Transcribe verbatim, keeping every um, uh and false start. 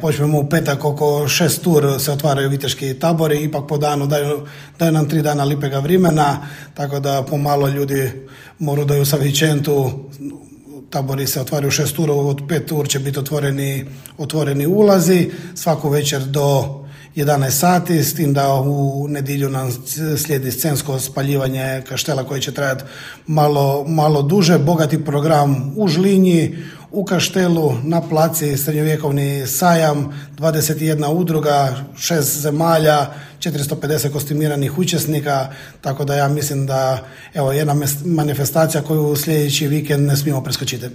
Počnemo u petak oko šest tur se otvaraju viteški tabori, ipak po danu daju, daju nam tri dana lipega vremena, tako da pomalo ljudi moraju da ju sa vikendu. Tabori se otvaraju u šest tur, od pet tur će biti otvoreni, otvoreni ulazi, svaku večer do jedanaest sati, s tim da u nedjelju nam slijedi scensko spaljivanje kaštela koje će trajati malo, malo duže, bogati program u Žlinji, u Kaštelu, na placi srednjovjekovni sajam, dvadeset jedna udruga, šest zemalja, četiristo pedeset kostimiranih učesnika, tako da ja mislim da evo jedna manifestacija koju sljedeći vikend ne smijemo preskočiti.